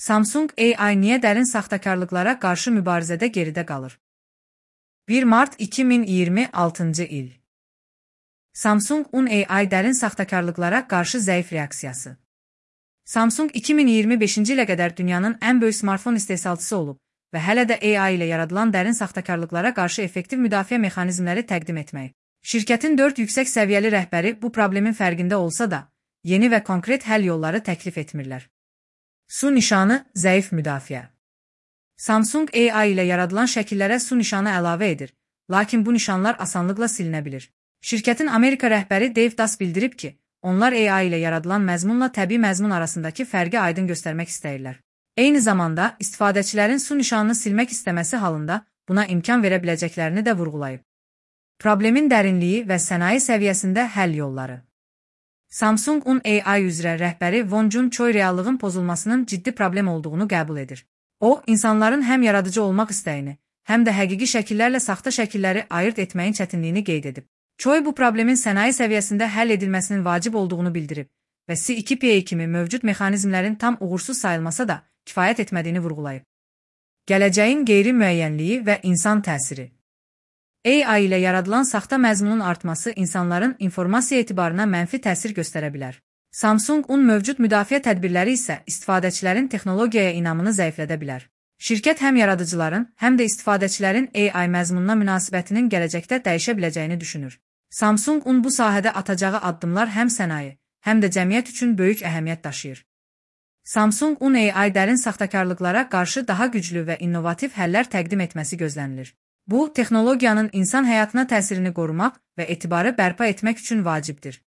Samsung AI niyə dərin saxtakarlıqlara qarşı mübarizədə geridə qalır? 1 mart 2026-cı il. Samsung AI dərin saxtakarlıqlara qarşı zəif reaksiyası. Samsung 2025-ci ilə qədər dünyanın ən böyük smartfon istehsalçısı olub və hələ də AI ilə yaradılan dərin saxtakarlıqlara qarşı effektiv müdafiə mexanizmləri təqdim etməyib. Şirkətin 4 yüksək səviyyəli rəhbəri bu problemin fərqində olsa da, yeni və konkret həll yolları təklif etmirlər. Su nişanı, zəif müdafiə. Samsung AI ilə yaradılan şəkillərə su nişanı əlavə edir, lakin bu nişanlar asanlıqla silinə bilir. Şirkətin Amerika rəhbəri Dave Das bildirib ki, onlar AI ilə yaradılan məzmunla təbii məzmun arasındakı fərqi aydın göstərmək istəyirlər. Eyni zamanda, istifadəçilərin su nişanını silmək istəməsi halında buna imkan verə biləcəklərini də vurğulayıb. Problemin dərinliyi və sənaye səviyyəsində həll yolları. Samsung AI üzrə rəhbəri Won Jun Choi reallığın pozulmasının ciddi problem olduğunu qəbul edir. O, insanların həm yaradıcı olmaq istəyini, həm də həqiqi şəkillərlə saxta şəkilləri ayırt etməyin çətinliyini qeyd edib. Choi bu problemin sənaye səviyyəsində həll edilməsinin vacib olduğunu bildirib və C2PA kimi mövcud mexanizmlərin tam uğursuz sayılmasa da kifayət etmədiyini vurğulayıb. Gələcəyin qeyri-müəyyənliyi və insan təsiri. AI ilə yaradılan saxta məzmunun artması insanların informasiya etibarına mənfi təsir göstərə bilər. Samsung mövcud müdafiə tədbirləri isə istifadəçilərin texnologiyaya inamını zəiflədə bilər. Şirkət həm yaradıcıların, həm də istifadəçilərin AI məzmununa münasibətinin gələcəkdə dəyişə biləcəyini düşünür. Samsung bu sahədə atacağı addımlar həm sənaye, həm də cəmiyyət üçün böyük əhəmiyyət daşıyır. Samsung AI dərin saxtakarlıqlara qarşı daha güclü və innovativ həllər təqdim etməsi gözlənilir. Bu, texnologiyanın insan həyatına təsirini qorumaq və etibarı bərpa etmək üçün vacibdir.